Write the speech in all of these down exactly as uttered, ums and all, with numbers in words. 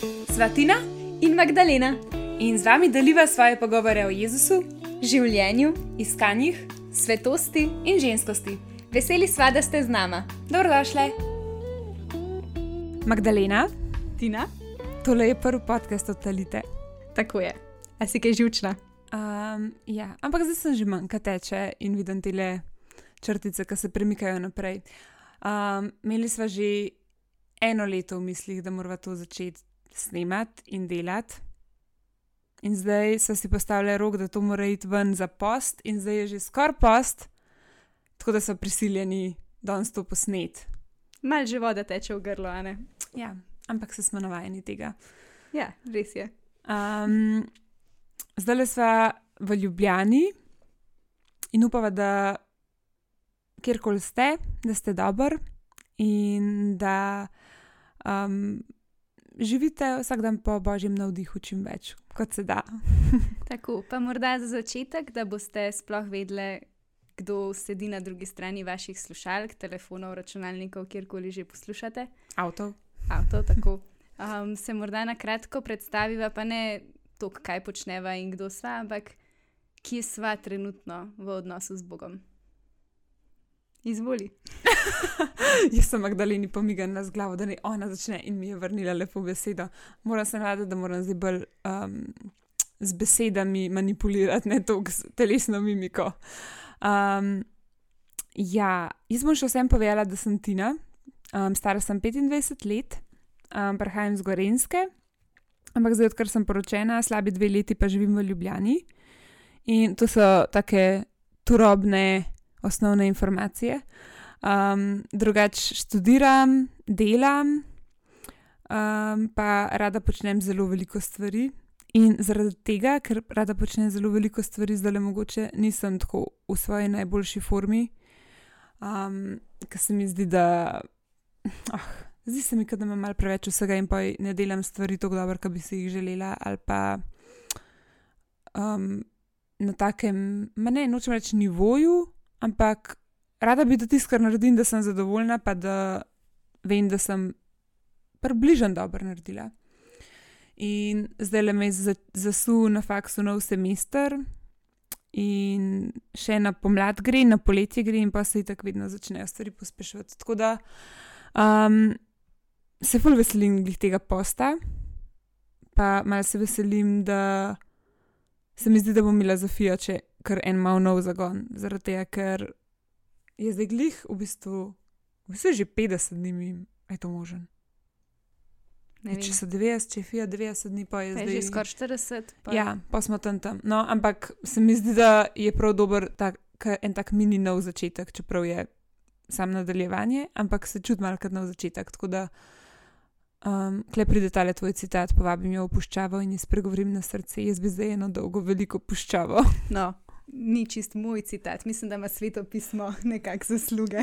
Sva Tina in Magdalena in z vami deliva svoje pogovore o Jezusu, življenju, iskanjih, svetosti in ženskosti. Veseli sva, da ste z nama. Dobrodošle. Magdalena, Tina, tole je prvi podcast od Talite. tako je. A si kaj živčna? Um, ja, ampak zdaj sem že manj, kaj teče in vidim tele črtice, ki se premikajo naprej. Um, imeli sva že eno leto v mislih, da morava to začeti snemati in delati. In zdaj so si postavili rok, da to mora iti ven za post in zdaj je že skoraj post, tako da so prisiljeni danes to posnet. Mal že voda teče v grlo, a ne? Ja, ampak se smo navajeni tega. Ja, res je. Um, zdaj le sva v Ljubljani in upava, da kjerkoli ste, da ste dober in da um, živite vsak dan po božjem navdihu čim več, kot se da. Tako, pa morda za začetek, da boste sploh vedeli, kdo sedi na drugi strani vaših slušalk, telefonov, računalnikov, kjerkoli že poslušate. Avtov. Avto, tako. Um, se morda na kratko predstaviva, pa ne to, kaj počneva in kdo sva, ampak kje sva trenutno v odnosu z Bogom. Izvoli. Jaz sem Magdaleni pomigala z glavo, da ne ona začne in mi je vrnila lepo besedo. Moram se navaditi, da moram zdaj bolj um, z besedami manipulirati, ne toliko s telesno mimiko. Um, ja, jaz bom še vsem povedala, da sem Tina, um, stara sem petindvajset let, um, prihajam z Gorenjske, ampak zdaj, odkar sem poročena, slabi dve leti pa živim v Ljubljani. In to so take turobne osnovne informacije. Um, drugač študiram, delam, um, pa rada počnem zelo veliko stvari. In zaradi tega, ker rada počnem zelo veliko stvari, zdaj le mogoče nisem tako v svoji najboljši formi, um, ker se mi zdi, da oh, zdi se mi, da imam malo preveč vsega in pa ne delam stvari tako dobro, kot bi si jih želela, ali pa um, na takem, ma ne, nočem reči nivoju, ampak rada bi da tisto, kar naredim, da sem zadovoljna, pa da vem, da sem približno dobro naredila. In zdaj le me je zasul na faksu nov semester in še na pomlad gre, na poletje gre in pa se itak vedno začnejo stvari pospeševati. Tako da um, se ful veselim glih tega posta, pa malo se veselim, da se mi zdi, da bom imela Zofija, če kar en mal nov zagon, zaradi tega, ker je zdaj glih v bistvu, v bistvu že petdeset dni mi, je to možen. Če so devetdeset, če je Fija devetdeset dni, pa je pa zdaj... je že skoraj štirideset. Pa... Ja, pa smo tam tam. No, ampak se mi zdi, da je prav dober tak, en tak mini nov začetek, čeprav je sam nadaljevanje, ampak se čuti malo kot nov začetek. Tako da um, kle pride tale tvoj citat, povabim jo v puščavo in ji spregovorim na srce. Jaz bi zdaj eno dolgo, veliko puščavo. No, ni čist moj citat. Mislim, da ima svetopismo nekak zasluge.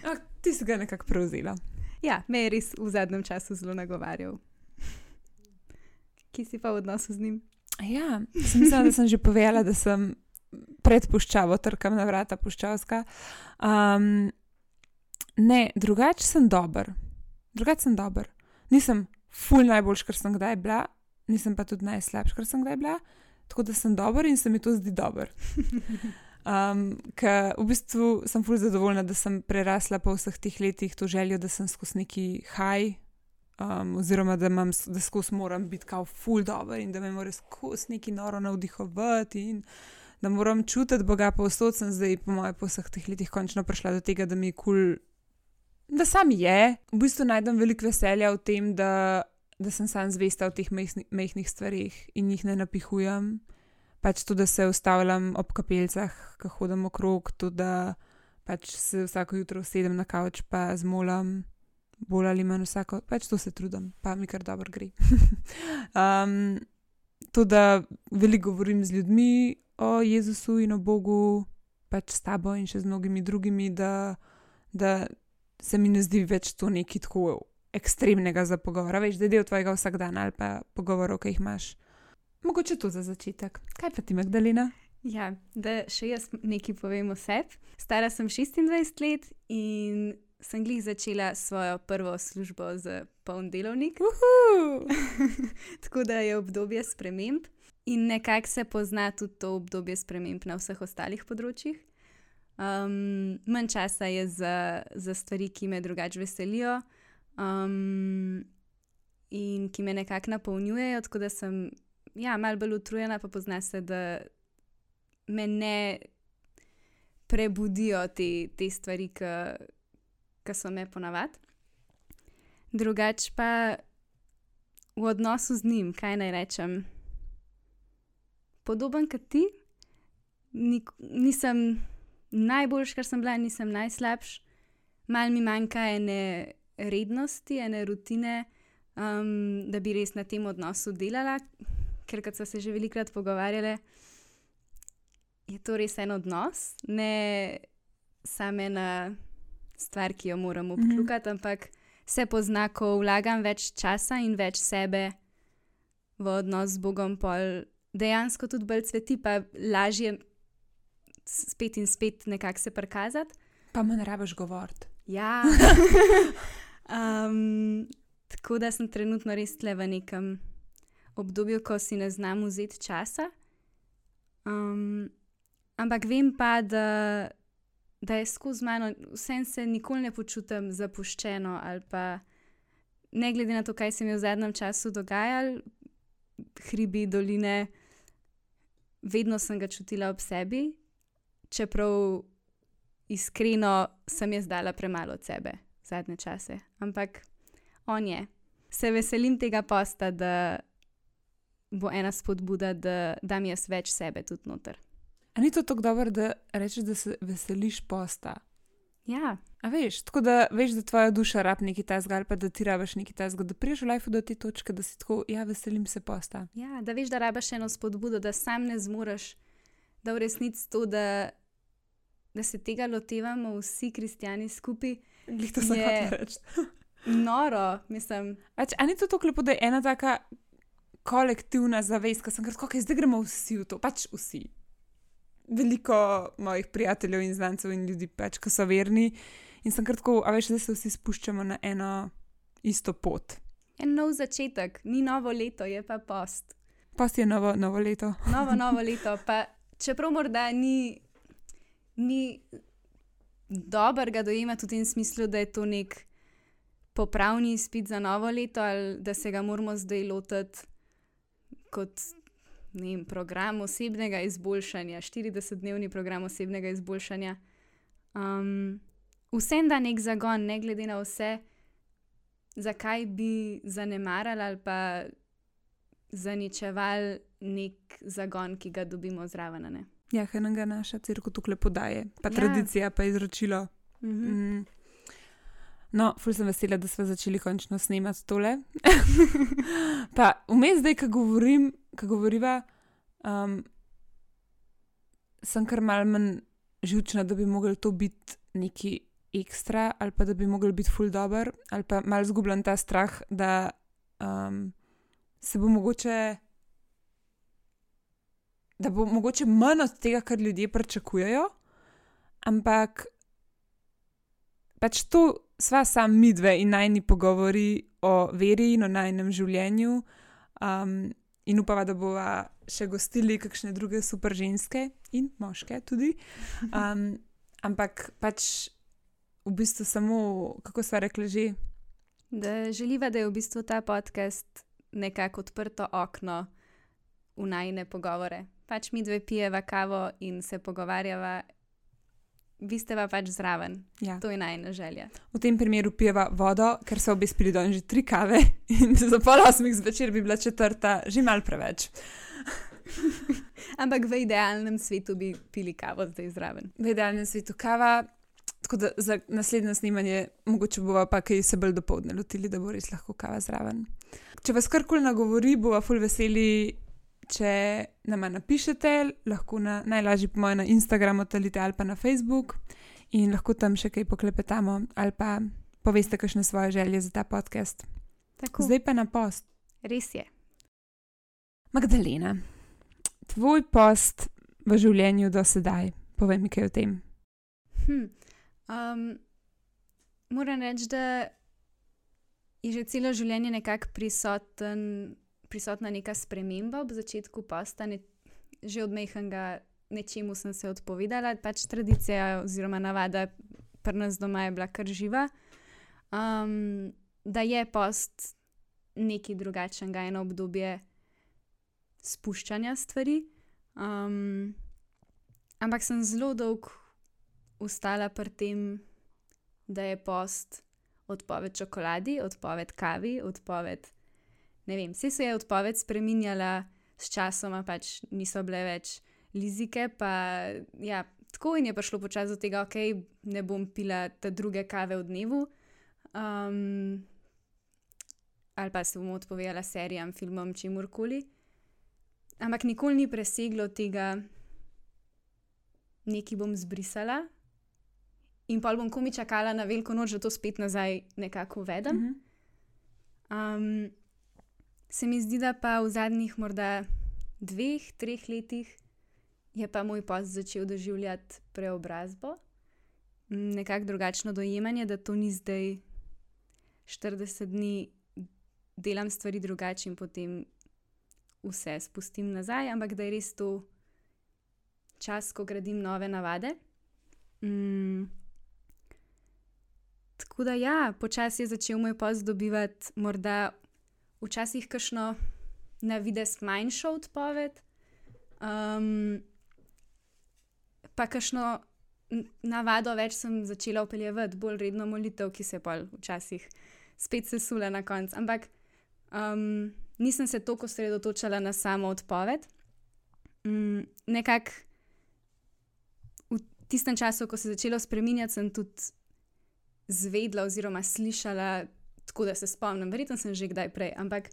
A, ti si ga nekako prevzela. Ja, me je res v zadnjem času zelo nagovarjal. Kje si pa v odnosu z njim? Ja, sem mislila, da sem že povedala, da sem pred puščavo, trkam na vrata puščavska. Um, ne, drugače sem dober. Drugače sem dober. Nisem ful najboljš, kar sem kdaj bila, nisem pa tudi najslabš, kar sem kdaj bila, tako da sem dober in se mi to zdi dober. Um, ker v bistvu sem ful zadovoljna, da sem prerasla po vseh teh letih to željo, da sem skozi neki high, um, oziroma da, imam, da skozi moram biti kao ful dober in da me mora skozi neki noro navdihovati in da moram čutiti Boga povsod. Sem zdaj po moje po vseh teh letih končno prišla do tega, da mi je kul, da sam je. V bistvu najdem veliko veselja v tem, da, da sem sam zvesta v teh mehnih stvarih in jih ne napihujem. Pač to, da se ustavljam ob kapeljcah, ko hodim okrog, to, da pač se vsako jutro usedem na kavč pa zmolam, bolj ali manj vsako, pač to se trudim, pa mi kar dobro gre. um, to, da veliko govorim z ljudmi o Jezusu in o Bogu, pač s tabo in še z mnogimi drugimi, da, da se mi ne zdi več to nekaj tako ekstremnega za pogovora, veš, da je del tvojega vsakdana ali pa pogovorov, ki jih imaš. Mogoče to za začetek. Kaj pa ti, Magdalena? Ja, da še jaz nekaj povem o sebi. Stara sem šestindvajset let in sem glih začela svojo prvo službo za poln delovnik. Tako da je obdobje sprememb in nekako se pozna tudi to obdobje sprememb na vseh ostalih področjih. Um, manj časa je za, za stvari, ki me drugače veselijo um, in ki me nekako napolnjujejo, tako da sem ja, malo bolj utrujena, pa pozna se, da me ne prebudijo te, te stvari, ki so me ponavadi. Drugače pa v odnosu z njim, kaj naj rečem, podoben kot ti, Nik, nisem najboljš, kar sem bila, nisem najslabš, malo mi manjka ene rednosti, ene rutine, um, da bi res na tem odnosu delala, ker kot so se že velikokrat pogovarjale, je to res en odnos, ne samo ena stvar, ki jo moram obkljukati, mm-hmm. ampak se pozna, ko vlagam več časa in več sebe v odnos z Bogom, pol dejansko tudi bolj cveti, pa lažje spet in spet nekako se prikazati. Pa me ne rabiš govoriti. Ja. um, tako da sem trenutno res tle v nekem obdobju, ko si ne znam vzeti časa. Um, ampak vem pa, da, da je skozi mano, vsem se nikoli ne počutim zapuščeno ali pa ne glede na to, kaj se mi v zadnjem času dogajalo, hribi, doline, vedno sem ga čutila ob sebi, čeprav iskreno sem jaz dala premalo od sebe zadnje čase. Ampak on je. Se veselim tega posta, da bo ena spodbuda, da dam jaz več sebe tudi noter. A ni to tako dobro, da rečeš, da se veseliš posta? Ja. A veš, tako da veš, da tvoja duša rab nekaj tazga ali pa da ti rabaš nekaj tazga, da priješ v lifeu do te točke, da si tako, ja, veselim se posta. Ja, da veš, da rabaš eno spodbudo, da sam ne zmoreš, da v resnici to, da, da se tega lotevamo vsi kristjani skupaj. Glih to sem hotela reči. Noro, mislim. Ač, a ni to tako lepo, da je ena taka kolektivna zavest, ko sem kar tako, zdaj gremo vsi v to, pač vsi. Veliko mojih prijateljev in znancev in ljudi pač, ko so verni in sem kar tako, a veš, da se vsi spuščamo na eno isto pot. En nov začetek, ni novo leto, je pa post. Post je novo, novo leto. Novo, novo leto, pa čeprav morda ni, ni dober ga dojemati v tem smislu, da je to nek popravni izpit za novo leto ali da se ga moramo zdaj lotiti kot ne vem, program osebnega izboljšanja, štiridesetdnevni program osebnega izboljšanja. Um, vsem da nek zagon, ne glede na vse, zakaj bi zanemarali ali pa zaničevali nek zagon, ki ga dobimo zraven, ne? Ja, kaj nam ga naša cerkev tukaj podaje, pa ja. Tradicija, pa izročilo. Mm-hmm. Mm. No, ful sem vesela, da smo začeli končno snemati tole. Pa vmes zdaj, ko govorim, ko govoriva, um, sem kar malo manj živčna, da bi mogli to biti neki ekstra ali pa da bi mogli biti ful dober ali pa malo zgubljam ta strah, da um, se bo mogoče da bo mogoče manj od tega, kar ljudje pričakujejo, ampak pač to sva sam midve in najni pogovori o veri in o najnem življenju um, in upava, da bova še gostili kakšne druge super ženske in moške tudi. Um, ampak pač v bistvu samo, kako sva rekla že? Da želiva, da je v bistvu ta podcast nekako odprto okno v najne pogovore. Pač midve pijeva kavo in se pogovarjava. Vi ste pa pač zraven. Ja. To je najna želja. V tem primeru pijeva vodo, ker so obi spili don že tri kave in za pol osmih zvečer bi bila četrta že malo preveč. Ampak v idealnem svetu bi pili kavo zdaj zraven. V idealnem svetu kava, tako da za naslednje snemanje mogoče bova pa kaj se bolj dopoldne lotili, da bo res lahko kava zraven. Če vas karkoli nagovori, bova ful veseli, če nama napišete, lahko na, najlažje po moje na Instagramu talite ali pa na Facebook in lahko tam še kaj poklepetamo ali pa poveste kakšne svoje želje za ta podcast. Tako. Zdaj pa na post. Res je. Magdalena, tvoj post v življenju do sedaj, povej mi kaj o tem. Hm. Um, moram reči, da je že celo življenje nekako prisoten, prisotna neka sprememba ob začetku posta. Ne, že od majhnega nečemu sem se odpovedala, pač tradicija oziroma navada pri nas doma je bila kar živa. Um, da je post nekaj drugačnega, eno obdobje spuščanja stvari. Um, ampak sem zelo dolgo ostala pri tem, da je post odpoved čokoladi, odpoved kavi, odpoved, ne vem, vse se je odpoved spreminjala s časoma, pač niso bile več lizike, pa ja, tako in je prišlo počasi do tega, ok, ne bom pila te druge kave v dnevu, um, ali pa se bom odpovedala serijam, filmom, čemurkoli. Ampak nikoli ni preseglo tega, nekaj bom zbrisala in pol bom komi čakala na veliko noč, da to spet nazaj nekako uvedem. Mm-hmm. Um, se mi zdi, da pa v zadnjih morda dveh, treh letih je pa moj post začel doživljati preobrazbo. Nekako drugačno dojemanje, da to ni zdaj štirideset dni delam stvari drugače in potem vse spustim nazaj, ampak da je res to čas, ko gradim nove navade. Mm. Tako da ja, počasi je začel moj post dobivati morda včasih kakšno na videz manjšo odpoved, um, pa kakšno navado več sem začela vpeljevati, bolj redno molitev, ki se je pol včasih spet sesula na koncu. Ampak um, nisem se toliko osredotočala na samo odpoved. Um, nekako v tistem času, ko se je začelo spreminjati, sem tudi zvedla oziroma slišala, tako da se spomnim, verjetno sem že kdaj prej, ampak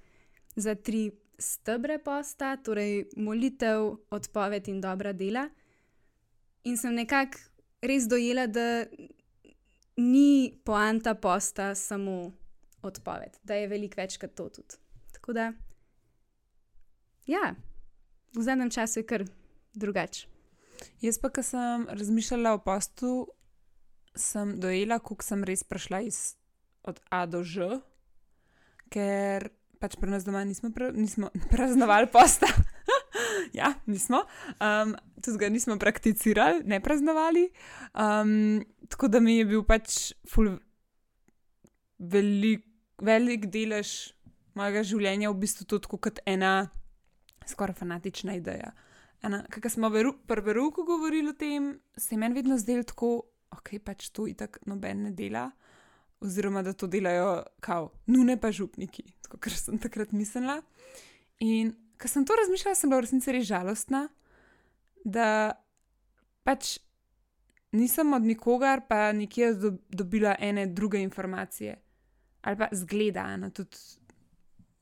za tri stebre posta, torej molitev, odpoved in dobra dela. In sem nekako res dojela, da ni poanta posta samo odpoved, da je veliko več kot to tudi. Tako da, ja, v zadnjem času je kar drugače. Jaz pa, ko sem razmišljala o postu, sem dojela, koliko sem res prišla iz, od A do Ž, ker pač pri nas doma nismo, pra, nismo praznovali posta. Ja, nismo. Um, tudi ga nismo prakticirali, ne praznovali. Um, tako da mi je bil pač ful velik, velik delež mojega življenja v bistvu tudi kot ena skoraj fanatična ideja. Kaj smo pri verouku govorili o tem, se je meni vedno zdelo tako, ok, pač to itak noben ne dela, oziroma da to delajo kao nune pa župniki, tako kar sem takrat mislila. In ko sem to razmišljala, sem bila v resnici res žalostna, da pač nisem od nikogar pa nikjer do, dobila ene druge informacije. Ali pa zgleda, no, tudi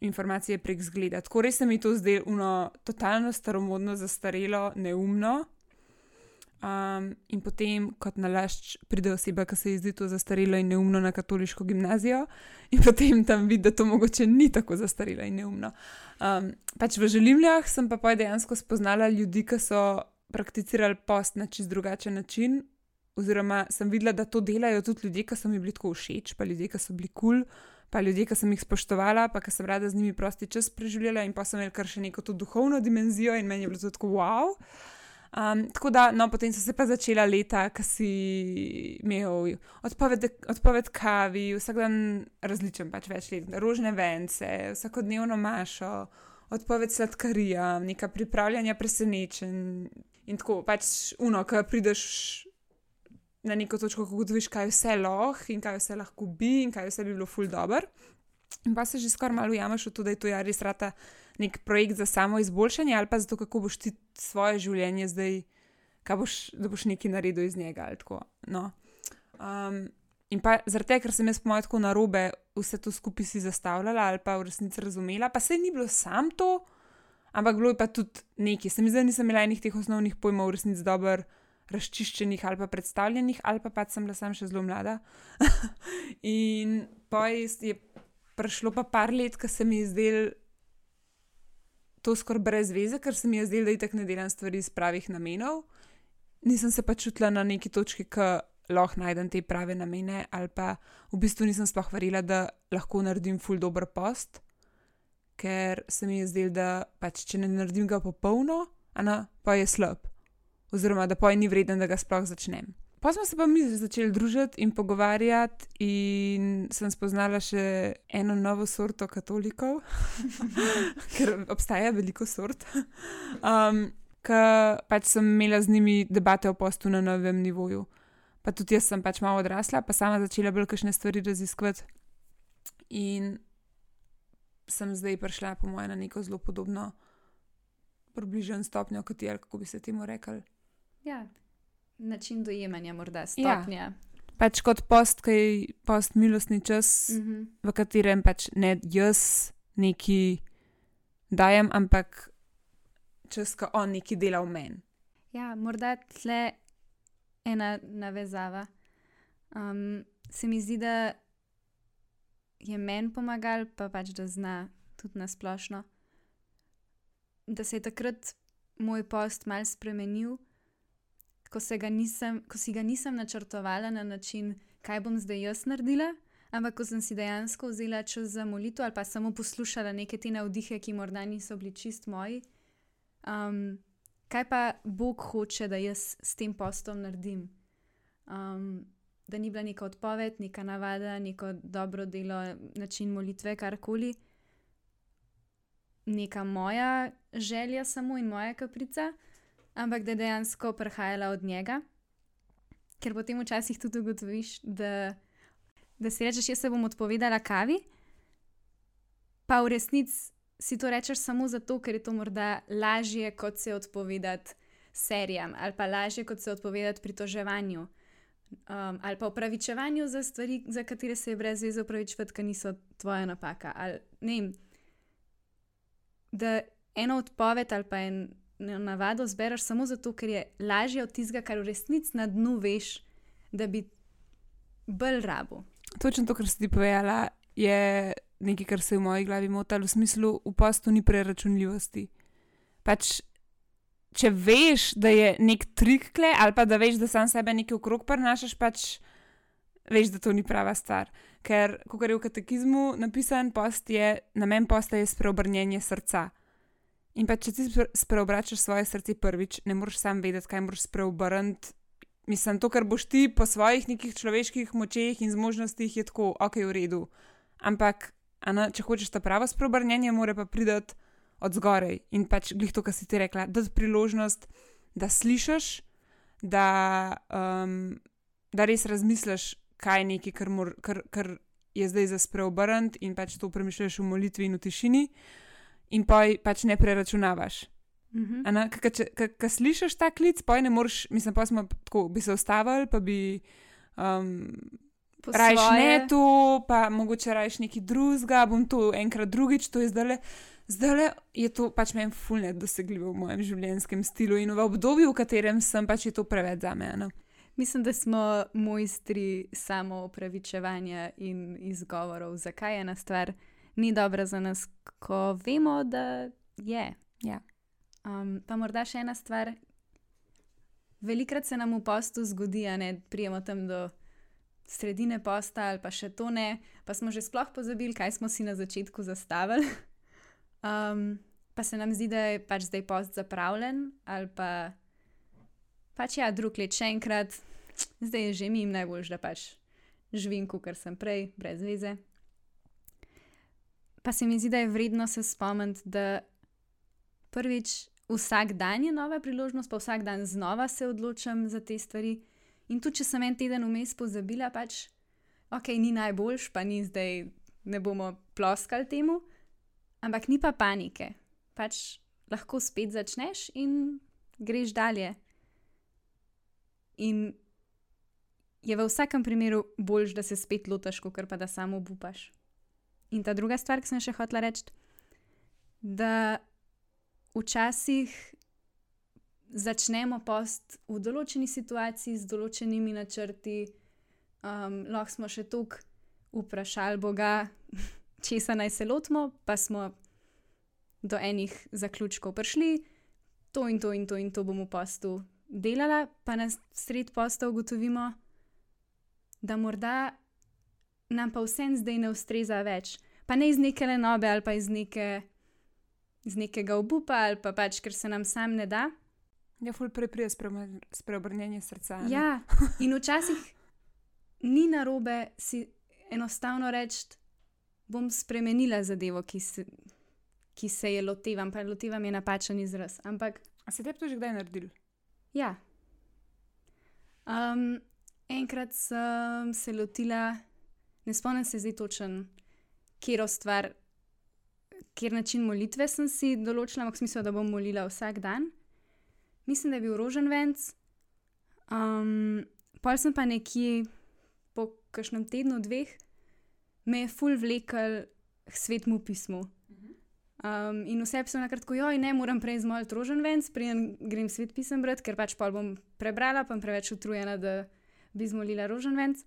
informacije prek zgleda. Tako res se mi to zdelo uno totalno staromodno, zastarelo, neumno. Um, in potem kot nalašč pride oseba, ki se ji zdi to zastarelo in neumno na katoliško gimnazijo in potem tam vidi, da to mogoče ni tako zastarelo in neumno. Um, pač v Želimljah sem pa poj dejansko spoznala ljudi, ki so prakticirali post na čist drugačen način, oziroma sem videla, da to delajo tudi ljudje, ki so mi bili tako všeč, pa ljudje, ki so bili kul, pa ljudje, ki sem jih spoštovala, pa ki sem rada z njimi prosti čas preživljala in pa sem imela kar še neko to duhovno dimenzijo in meni je bilo to tako wow. Um, tako da, no, potem so se pa začela leta, ko si imel odpoved, odpoved kavi, vsak dan različen, pač več let, rožne vence, vsakodnevno mašo, odpoved sladkarija, neka pripravljanja presenečenj in tako, pač uno, ko prideš na neko točko, ko ugotoviš, kaj vse lahko in kaj vse lahko bi in kaj vse bi bilo ful dober. In pa se že skoraj malo ujameš v to, da je to ja res rata nek projekt za samo izboljšanje ali pa zato, kako boš ti svoje življenje zdaj, kaj boš, da boš nekaj naredil iz njega ali tako, no. Um, in pa zaradi tega, ker sem jaz po moje tako narobe vse to skupaj si zastavljala ali pa v resnici razumela, pa saj ni bilo sam to, ampak bilo je pa tudi nekaj. Se mi zdaj nisem imela enih teh osnovnih pojmov v resnici dober razčiščenih ali pa predstavljenih, ali pa pač sem bila sam še zelo mlada. In pa je prišlo pa par let, ko se mi je zdel to skoraj brez veze, ker se mi je zdelo, da itak ne delam stvari iz pravih namenov. Nisem se pa čutila na neki točki, ko lahko najdem te prave namene, ali pa v bistvu nisem sploh verjela, da lahko naredim ful dober post, ker se mi je zdelo, da pač, če ne naredim ga popolno, ana, pa je slab. Oziroma, da pa je ni vreden, da ga sploh začnem. Pa smo se pa mi začeli družiti in pogovarjati in sem spoznala še eno novo sorto katolikov, ker obstaja veliko sort. Um, Ker pač sem imela z njimi debate o postu na novem nivoju. Pa tudi jaz sem pač malo odrasla, pa sama začela bolj kakšne stvari raziskovati. In sem zdaj prišla, po mojem, na neko zelo podobno, približno stopnjo kot je, kako bi se temu rekli. Ja, način dojemanja morda, stopnja. Ja. Pač kot post, kaj post milostni čas, Mhm. v katerem pač ne jaz neki dajem, ampak čas, ko on neki dela v meni. Ja, morda tle ena navezava. Um, se mi zdi, da je meni pomagal, pa pač da zna tudi nasplošno, da se je takrat moj post mal spremenil, ko, se ga nisem, ko si ga nisem načrtovala na način, kaj bom zdaj jaz naredila, ampak ko sem si dejansko vzela čas za molitev ali pa samo poslušala neke te navdihe, ki morda niso bili čist moji. Um, kaj pa Bog hoče, da jaz s tem postom naredim? Um, da ni bila neka odpoved, neka navada, neko dobro delo, način molitve, karkoli. Neka moja želja samo in moja kaprica, ampak da je dejansko prihajala od njega. Ker potem včasih tudi ugotoviš, da, da si rečeš, jaz se bom odpovedala kavi, pa v resnici si to rečeš samo zato, ker je to morda lažje, kot se odpovedati serijam, ali pa lažje, kot se odpovedati pritoževanju, um, ali pa opravičevanju za stvari, za katere se je brez veze opravičevati, ker niso tvoja napaka. Ali, ne vem, da eno odpoved ali pa eno navado zbereš samo zato, ker je lažje od tistega, kar v resnici na dnu veš, da bi bolj rabo. Točno to, kar si ti povedala, je nekaj, kar se je v moji glavi motalo, v smislu, v postu ni preračunljivosti. Pač, če veš, da je nek trik kle, ali pa da veš, da sam sebe nekaj okrog prinašaš, pač veš, da to ni prava stvar. Ker, kot je v katekizmu napisan, post je, namen posta je spreobrnjenje srca. In pa, če ti spreobračaš svoje srce prvič, ne moreš sam vedeti, kaj moraš spreobrniti. Mislim, to, kar boš ti po svojih nekih človeških močeh in zmožnostih, je tako, ok, v redu. Ampak, ana, če hočeš ta pravo spreobrnjenje, mora pa priti od zgorej. In pač, glih to, kar si ti rekla, dati priložnost, da slišiš, da, um, da res razmisliš, kaj je nekaj, kar, mor, kar, kar je zdaj za spreobrniti in pač to premišljaš v molitvi in v tišini. In pa pač ne preračunavaš. Mhm. Ko slišiš ta klic, pa ne moreš, mislim, pa smo tako, bi se ustavili, pa bi um, rajš ne to, pa mogoče rajš neki drugega, bom to enkrat drugič, to je zdajle. Zdajle je to pač meni ful nedosegljivo v mojem življenjskem stilu in v obdobju, v katerem sem, pač je to preveč za mene. Mislim, da smo mojstri samo opravičevanja in izgovorov, zakaj ena stvar ni dobra za nas, ko vemo, da je. Ja. Um, pa morda še ena stvar. Velikrat se nam v postu zgodi, da ne prijemo tam do sredine posta ali pa še to ne, pa smo že sploh pozabili, kaj smo si na začetku zastavili. Um, pa se nam zdi, da je pač zdaj post zapravljen ali pa pač ja, drug let še enkrat, zdaj je že mi najboljš, da pač živim, kakor sem prej, brez veze. Pa se mi zdi, da je vredno se spomniti, da prvič vsak dan je nova priložnost, pa vsak dan znova se odločam za te stvari. In tudi, če sem en teden vmes pozabila, pač, ok, ni najboljš, pa ni zdaj, ne bomo ploskali temu, ampak ni pa panike. Pač lahko spet začneš in greš dalje. In je v vsakem primeru boljš, da se spet lotaš, kot pa da samo obupaš. In ta druga stvar, ki sem še hotela reči, da včasih začnemo post v določeni situaciji z določenimi načrti, um, lahko smo še toliko vprašali Boga, česa naj se lotimo, pa smo do enih zaključkov prišli, to in to in to in to bomo v postu delala, pa na sred posta ugotovimo, da morda nam pa vsem zdaj ne ustreza več. Pa ne iz neke lenobe ali pa iz, neke, iz nekega obupa ali pa pač, ker se nam sam ne da. Ja, ful prej prije spreobrnjenje srca. Ne? Ja, in včasih ni narobe si enostavno reči, bom spremenila zadevo, ki se, ki se je lotevam, pa lotevam je napačen izraz. Ampak, a se tebi to že kdaj naredil? Ja. Um, enkrat sem se lotila, ne spomnim se zdaj točen, kjero stvar, kjer način molitve sem si določila, ampak smisel, da bom molila vsak dan. Mislim, da je bil roženvenc. Um, pol sem pa nekje po kakšnem tednu, dveh, me je ful vlekel k svetmu pismu. Um, in vse sem nakratko, joj, ne, moram prej zmoliti roženvenc, preden grem svet pisem brati, ker pač pol bom prebrala, pa sem preveč utrujena, da bi zmolila roženvenc.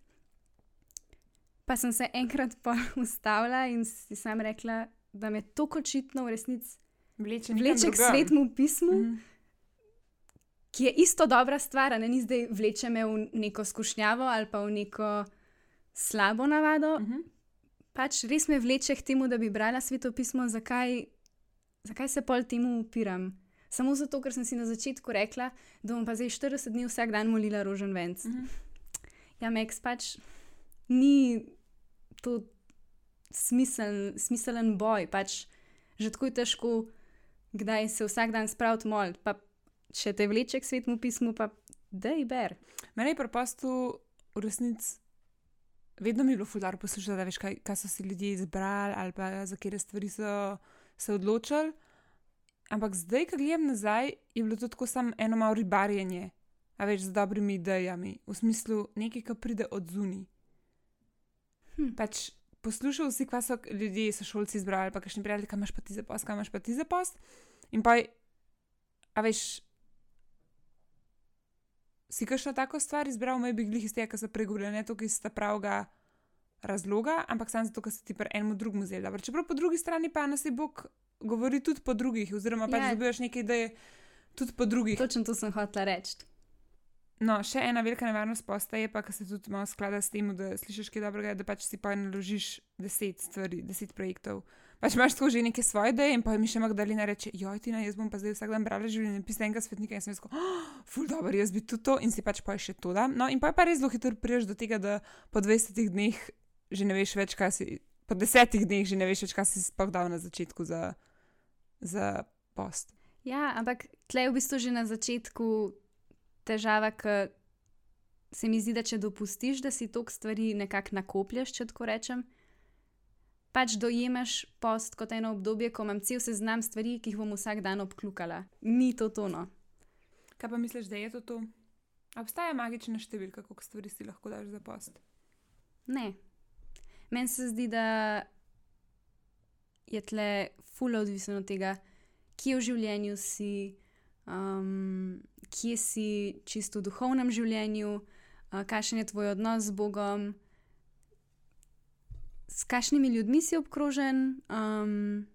Pa sem se enkrat pol ustavila in si sam rekla, da me toliko očitno v resnici Vleče, vleče k svetmu pismu, Mhm. ki je isto dobra stvar, a ne ni zdaj vleče me v neko skušnjavo ali pa v neko slabo navado. Mhm. Pač res me vleče k temu, da bi brala sveto pismo, zakaj, zakaj se pol temu upiram. Samo zato, ker sem si na začetku rekla, da bom pa zdaj štirideset dni vsak dan molila roženvenc. Mhm. Ja, Max, pač ni to smisel, smiselen boj, pač že tako je težko, kdaj se vsak dan spraviti moliti, pa če te vleče k svetmu pismu, pa daj ber. Mene je pri postu v resnici vedno mi je bilo fulano poslušati, da veš, kaj, kaj so si ljudje izbrali ali pa za katere stvari so se odločili. Ampak zdaj, ko gledam nazaj, je bilo to tako samo eno malo ribarjenje, a več z dobrimi idejami, v smislu nekaj, ki pride od zunaj. Hm. Pač poslušal si, kaj so ljudje, so šolci izbrali, pa kakšni prijatelji, kaj imaš pa ti za post, kaj imaš pa ti za post. In pa, a veš, si kakšno tako stvar izbral, me bi glih iz tega, kar so pregovorili, ne to, ki sta pravega razloga, ampak samo zato, ker si ti pri enem drugemu vzeli. Dobro, čeprav po drugi strani pa nas je Bog govori tudi po drugih, oziroma pač Ja. dobivaš neke ideje tudi po drugih. Točno to sem hotela reči. No, še ena velika nevarnost posta je pa, ker se tudi malo sklada s tem, da slišiš kaj dobrega, da pač si pa naložiš deset stvari, deset projektov. Pač imaš tako že neke svoje ideje in pa mi še Magdalena reče, joj, Tina, jaz bom pa zdaj vsak dan brala življenjepis enega svetnika in sem jaz tako, oh, ful dobro, jaz bi tudi to in si pač pa še to dam. No in pa je pa res zelo hitro priješ do tega, da po dvajsetih dneh že ne veš več, kaj si, po desetih dneh že ne veš več, kaj si sploh dal na začetku za, za post. Ja, ampak tle je v bistvu že na začetku težava, ker se mi zdi, da če dopustiš, da si toliko stvari nekako nakoplješ, če tako rečem, pač dojemaš post kot eno obdobje, ko imam cel seznam stvari, ki jih bom vsak dan obklukala. Ni to tono. Kaj pa misliš, da je to to? A obstaja magična številka, koliko stvari si lahko daš za post? Ne. Meni se zdi, da je tle ful odvisno od tega, kje v življenju si, um, kje si čisto v duhovnem življenju, uh, kakšen je tvoj odnos z Bogom, s kakšnimi ljudmi si obkrožen. Um,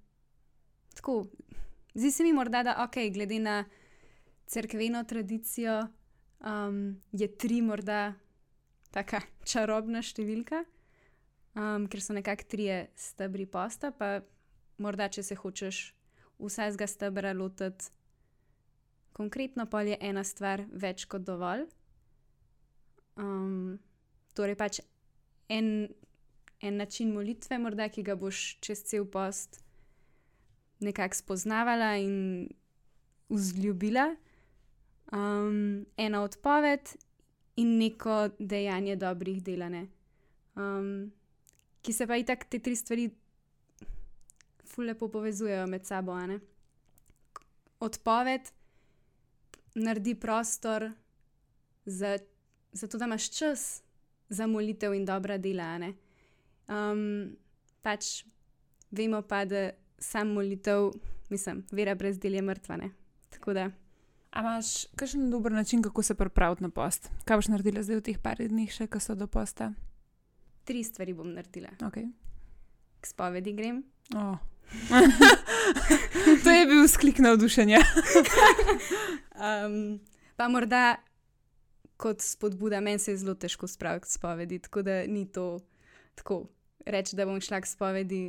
tako, zdi se mi morda, da ok, glede na cerkveno tradicijo um, je tri morda taka čarobna številka, um, ker so nekako trije stebri posta, pa morda, če se hočeš vsakega stebra lotiti konkretno, pol je ena stvar več kot dovolj. Um, torej pač en, en način molitve, morda, ki ga boš čez cel post nekako spoznavala in vzljubila. Um, ena odpoved in neko dejanje dobrih delane. Um, ki se pa itak te tri stvari ful lepo povezujejo med sabo, a ne? Odpoved naredi prostor za, za to, da imaš čas za molitev in dobra dela, a ne? Um, pač vemo pa, da sam molitev, mislim, vera brez del je mrtva, ne? Tako da. A imaš kakšen dober način, kako se pripraviti na post? Kaj boš naredila zdaj v teh par dneh še, ko so do posta? Tri stvari bom naredila. Okay. K spovedi grem. Oh. To je bil sklik navdušenja. um, pa morda kot spodbuda, meni se je zelo težko spraviti k spovedi, tako da ni to tako reči, da bom šla k spovedi,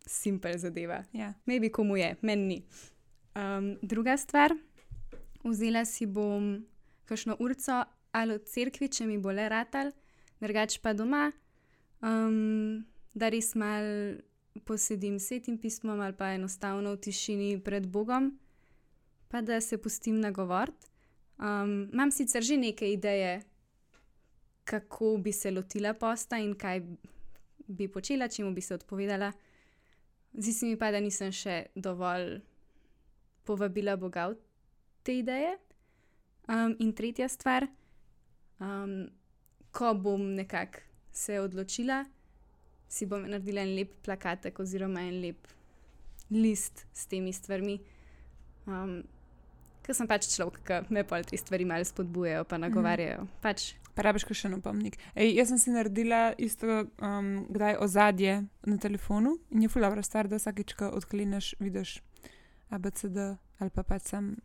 simpel zadeva. Ja. Maybe komu je, meni ni. Um, druga stvar, vzela si bom kakšno urco ali v cerkvi, če mi bo le ratal, drugače pa doma, um, da res mal posedim s Svetim pismom ali pa enostavno v tišini pred Bogom, pa da se pustim nagovoriti. Um, imam sicer že neke ideje, kako bi se lotila posta in kaj bi počela, čemu bi se odpovedala. Zdi se mi pa, da nisem še dovolj povabila Boga v te ideje. Um, in tretja stvar, um, ko bom nekako se odločila, si bom naredila en lep plakatek oziroma en lep list s temi stvarmi. Um, ker sem pač človek, ki me pol te stvari malo spodbujajo pa nagovarjajo. Mm. Pač. Pa rabiš še en opomnik. Ej, jaz sem si naredila isto um, kdaj ozadje na telefonu in je ful dobra stvar, da vsakič, ko odkleneš, vidiš A B C D ali pa pač sam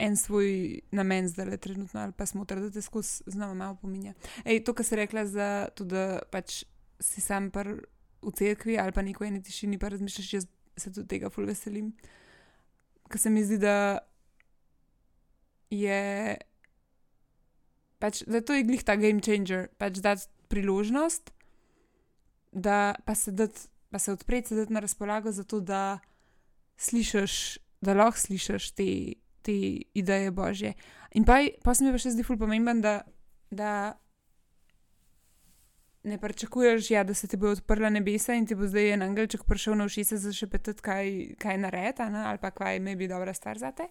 en svoj namen zdaj trenutno ali pa smotr, da te skozi znova malo pominja. Ej, to, kar si rekla za to, da pač si sam par v cerkvi ali pa neko eni tišini pa razmišljaš, jaz se tudi tega ful veselim. Ker se mi zdi, da je pač, da to je glih ta game changer, pač dati priložnost, da pa se dati, pa se odpreti, se dati na razpolago za to, da slišaš, da lahko slišaš te, te ideje Božje. In pa, pa se mi pa še zdi ful pomemben, da, da ne pričakuješ, ja, da se ti bo odprla nebesa in ti bo zdaj en angelček prišel na ušesa zašepetati, kaj, kaj naredi, ali pa kaj me bi dobra stvar zate.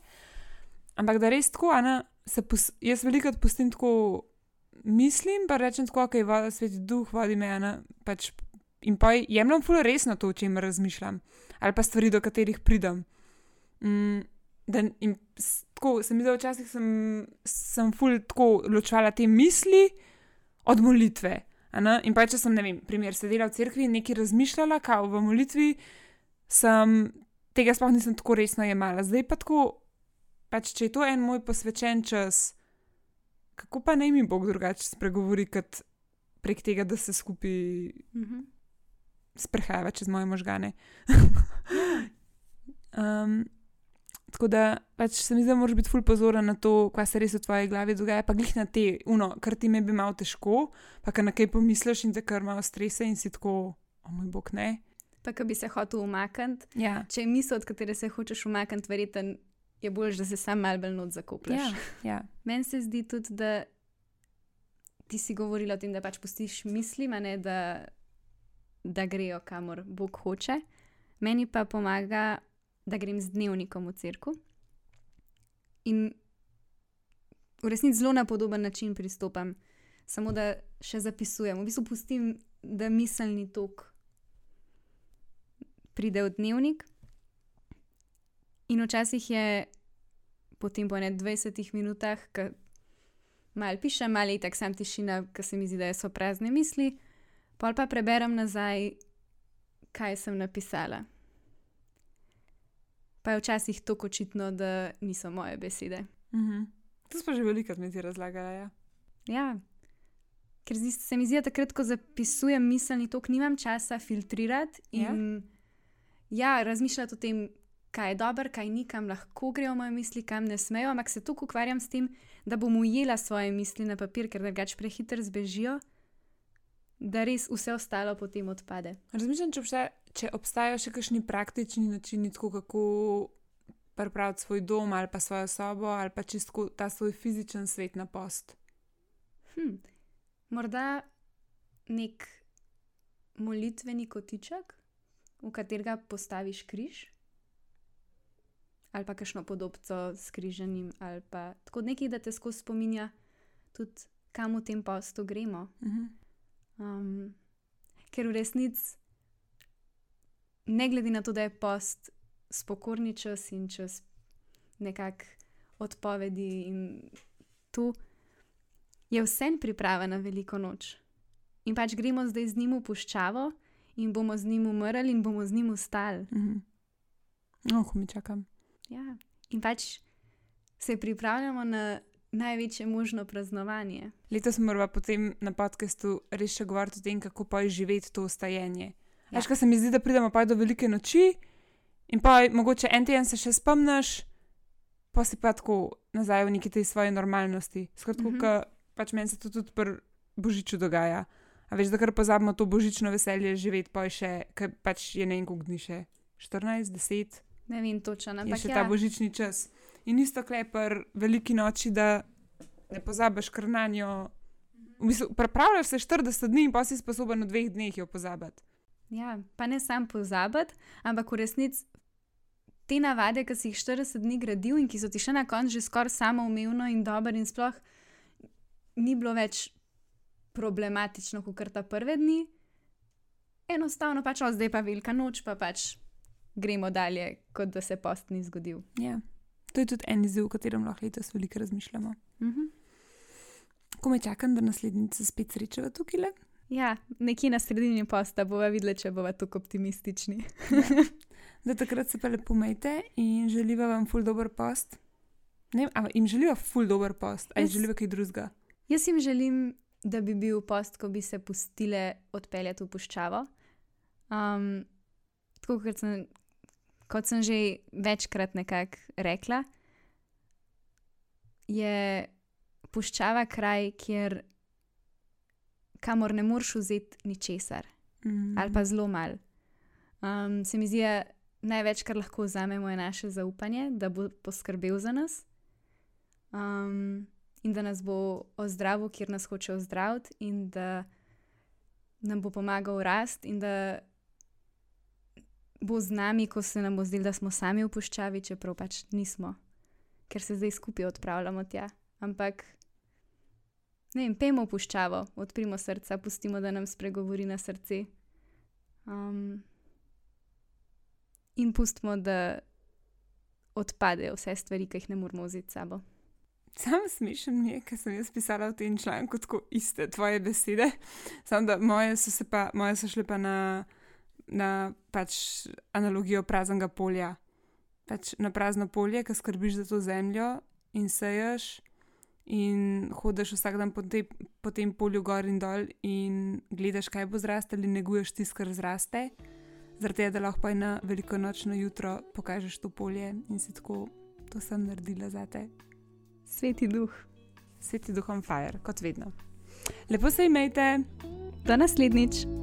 Ampak da res tako, Ana, se pos, jaz velikrat pustim tako, mislim, pa rečem tako, kaj voda, Sveti Duh vodi me, Ana, pač, in pa jemljam ful resno to, o čemer razmišljam, ali pa stvari, do katerih pridem. Mm, da, in tako, se mi zdi, včasih sem, sem ful tako ločvala te misli od molitve. Ana? In pa če sem, ne vem, primer, sedela v cerkvi in nekaj razmišljala, kao v molitvi, sem, tega sploh nisem tako resno jemala. Zdaj pa tako, pač, če je to en moj posvečen čas, kako pa naj mi Bog drugače spregovori, kot prek tega, da se skupaj mm-hmm. sprehajava čez moje možgane. um, tako da, pač se mi zdi, da moraš biti ful pozoren na to, kaj se res v tvoji glavi dogaja, pa glih na te, uno, kar ti me bi malo težko, pa kar na kaj pomisliš in te kar malo strese in si tako, o moj Bog, ne. Pa ko bi se hotel umakniti, ja. Če je misel, od katere se hočeš umakniti, verjetno je bolj, da se sam malo bolj not zakopljaš. Ja, ja. Meni se zdi tudi, da ti si govorila o tem, da pač pustiš mislim, a ne, da, da grejo kamor Bog hoče. Meni pa pomaga, da grem z dnevnikom v cerkev in v resnici zelo na podoben način pristopam, samo da še zapisujem. V bistvu pustim, da miselni tok pride v dnevnik in včasih je potem po ne dvajsetih minutah, ko malo pišem, malo je tak sam tišina, ko se mi zdi, da so prazne misli, pol pa preberem nazaj, kaj sem napisala. Pa je včasih tako očitno, da niso moje besede. Mm-hmm. To smo že veliko mi ti razlagala, ja. Ja, ker zdi, se mi zdi, da takrat, ko zapisujem miselni tok, nimam časa filtrirati in ja, ja razmišljati o tem, kaj je dobro, kaj ni, kam lahko grejo moje misli, kam ne smejo, ampak se toliko ukvarjam s tem, da bom ujela svoje misli na papir, ker drugače prehiter zbežijo, da res vse ostalo potem odpade. Razmišljam, če, obstaja, če obstajajo še kakšni praktični načini, tako kako pripraviti svoj dom ali pa svojo sobo ali pa čisto ta svoj fizičen svet na post. Hm, morda nek molitveni kotiček, v katerega postaviš križ ali pa kakšno podobco s križanim ali pa tako nekaj, da te skozi spominja tudi, kam v tem postu gremo. Mhm. Um, ker v resnici, ne glede na to, da je post spokorni čas in čas nekak odpovedi in tu, je vsem priprava na veliko noč. In pač gremo zdaj z njim v puščavo in bomo z njim umrli in bomo z njim ustali. Mhm. Oh, mi čakam. Ja, in pač se pripravljamo na največje možno praznovanje. Letos moramo potem na podcastu res še govoriti o tem, kako pa je živeti to stajenje. Ja. Veš, kaj se mi zdi, da pridemo pa do velike noči in pa mogoče en teden se še spomniš, pa si pa tako nazaj v neki tej svoji normalnosti. Skratka, mm -hmm. pač meni se to tudi pri Božiču dogaja. A veš, da kar pozabimo to božično veselje živeti, pa je še, ker pač je ne en koliko dni še, štirinajst, deset. Ne vem točno, ampak je še ja. ta božični čas. In isto klepar veliki noči, da ne pozabiš kar na njo. V bistvu, pripravljaš se štirideset dni in pa si sposoben v dveh dneh jo pozabiti. Ja, pa ne sam pozabiti, ampak v resnici te navade, ki si jih štirideset dni gradil in ki so ti še na koncu že skoraj samoumevno in dobro in sploh ni bilo več problematično, kot ta prve dni. Enostavno pač, o, zdaj pa velika noč, pa pač gremo dalje, kot da se post ni zgodil. Ja, to je tudi en izziv, o katerem lahko letos veliko razmišljamo. Mhm. Ko me čakam, da naslednjič se spet srečava tukaj le? Ja, nekje na sredini posta bova videla, če bova tako optimistični. Ja. Da takrat se pa lepo majte in želiva vam ful dober post. Ne vem, a jim želiva ful dober post, a jim želiva kaj drugega? Jaz jim želim, da bi bil post, ko bi se pustile odpeljati v puščavo. Um, tako kot sem, kot sem že večkrat nekako rekla, je puščava kraj, kjer kamor ne moreš vzeti ničesar. Mm. Ali pa zelo malo. Um, se mi zdi, da največ, kar lahko vzamemo, je naše zaupanje, da bo poskrbel za nas. Um, in da nas bo ozdravil, kjer nas hoče ozdraviti, in da nam bo pomagal rast, in da bo z nami, ko se nam bo zdelo, da smo sami v puščavi, čeprav pač nismo, ker se zdaj skupaj odpravljamo tja. Ampak, ne vem, pejmo v puščavo, odprimo srca, pustimo, da nam spregovori na srce. Um, in pustimo, da odpadejo vse stvari, ki jih ne moramo vzeti s sabo. Sam smešen mi je, ker sem jaz pisala v tem članku tako iste tvoje besede, samo da moje so, se pa, moje so šle pa na, na pač analogijo praznega polja. Pač na prazno polje, ki skrbiš za to zemljo in seješ in hodiš vsak dan po, te, po tem polju gor in dol in gledaš, kaj bo zrastel in neguješ tisto, kar zraste. Zaradi tega, da lahko pa na velikonočno jutro pokažeš to polje in si tako, to sem naredila zate. Sveti duh. Sveti duh on fire, kot vedno. Lepo se imejte. Do naslednjič.